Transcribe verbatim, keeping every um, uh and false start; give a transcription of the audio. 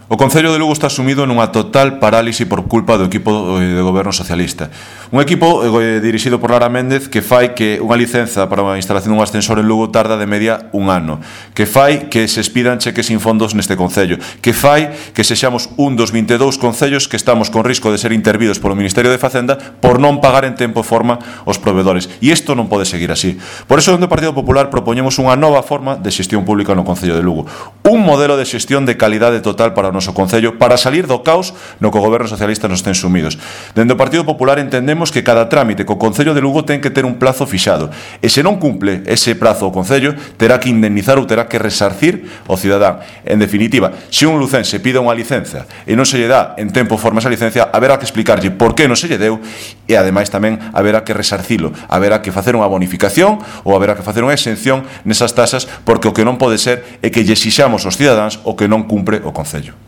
O Concello de Lugo está sumido nunha total parálise por culpa do equipo de goberno socialista. Un equipo eh, dirixido por Lara Méndez que fai que unha licenza para a instalación dun ascensor en Lugo tarda de media un ano, que fai que se expidan cheques sin fondos neste Concello, que fai que sexamos un dos vinte e dous concellos que estamos con risco de ser intervidos polo Ministerio de Facenda por non pagar en tempo e forma os provedores. E isto non pode seguir así. Por iso, dentro do Partido Popular propoñemos unha nova forma de xestión pública no Concello de Lugo. Un modelo de xestión de calidade total para o noso Concello para salir do caos no que o goberno socialista nos ten sumidos. Dende o Partido Popular entendemos que cada trámite co Concello de Lugo ten que ter un plazo fixado e se non cumple ese prazo o Concello terá que indemnizar ou terá que resarcir o cidadán. En definitiva, se un lucense pide unha licenza e non se lle dá en tempo e forma esa licencia, haberá que explicarlle por que non se lle deu e ademais tamén haberá que resarcilo, haberá que facer unha bonificación ou haberá que facer unha exención nesas tasas porque o que non pode ser é que lle exixamos aos cidadáns o que non cumpre o Concello.